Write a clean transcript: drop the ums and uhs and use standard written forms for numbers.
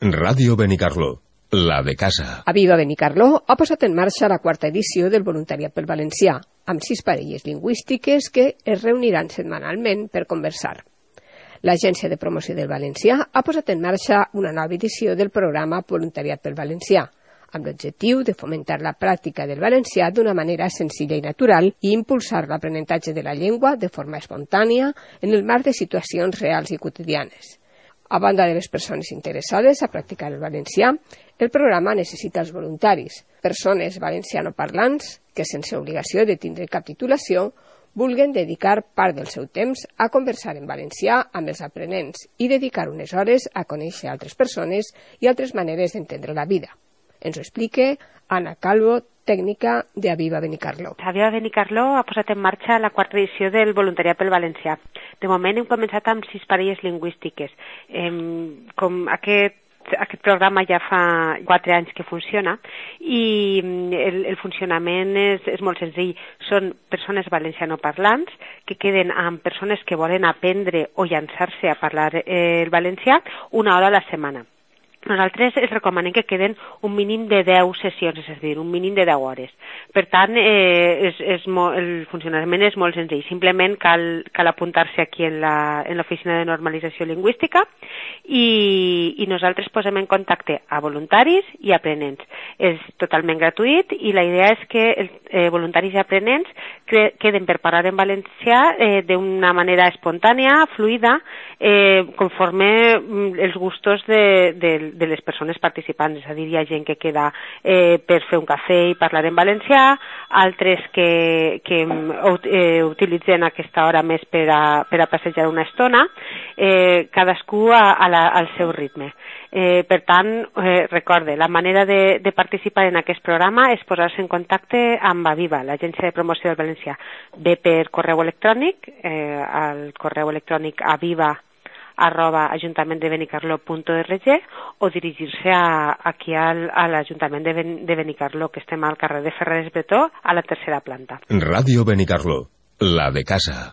Ràdio Benicarló, la de casa. Aviva Benicarló ha posat en marxa la quarta edició del Voluntariat pel Valencià, amb 6 parelles lingüístiques que es reuniran setmanalment per conversar. L'Agència de Promoció del Valencià ha posat en marxa una nova edició del programa Voluntariat pel Valencià, amb l'objectiu de fomentar la pràctica del valencià d'una manera senzilla i natural i impulsar l'aprenentatge de la llengua de forma espontània en el marc de situacions reals i quotidianes. A banda de les persones interessades a practicar el valencià, el programa necessita els voluntaris, persones valencianoparlants que, sense obligació de tindre cap titulació, vulguen dedicar part del seu temps a conversar en valencià amb els aprenents i dedicar unes hores a conèixer altres persones i altres maneres d'entendre la vida. Ens ho explica Anna Calvo, tècnica de Aviva Benicarló. Aviva Benicarló ha posat en marxa la quarta edició del Voluntariat pel Valencià. De moment hem començat amb 6 parelles lingüístiques. Com aquest programa ja fa 4 anys que funciona i el funcionament és molt senzill. Són persones valencianoparlants que queden amb persones que volen aprendre o llançar-se a parlar el valencià una hora a la setmana. Nosaltres els recomanem que queden un mínim de 10 sessions, és a dir, un mínim de 10 hores. Per tant, el funcionament és molt senzill. Simplement cal apuntar-se aquí en l'oficina de normalització lingüística i nosaltres posem en contacte a voluntaris i aprenents. És totalment gratuït i la idea és que voluntaris i aprenents queden per parlar en valencià d'una manera espontània, fluida, conforme els gustos de les persones participants. És a dir, hi ha gent que queda per fer un cafè i parlar en valencià, altres que utilitzen aquesta hora més per a passejar una estona, cadascú al seu ritme. Per tant, recorde, la manera de participar en aquest programa és posar-se en contacte amb Aviva, l'Agència de Promoció del Valencià, bé per correu electrònic, al correu electrònic aviva@ajuntamendebenicarlo.org o dirigir-se aquí a l'Ajuntament de Benicarló, que estem al carrer de Ferreres Bretó, a la 3a planta. Ràdio Benicarló, la de casa.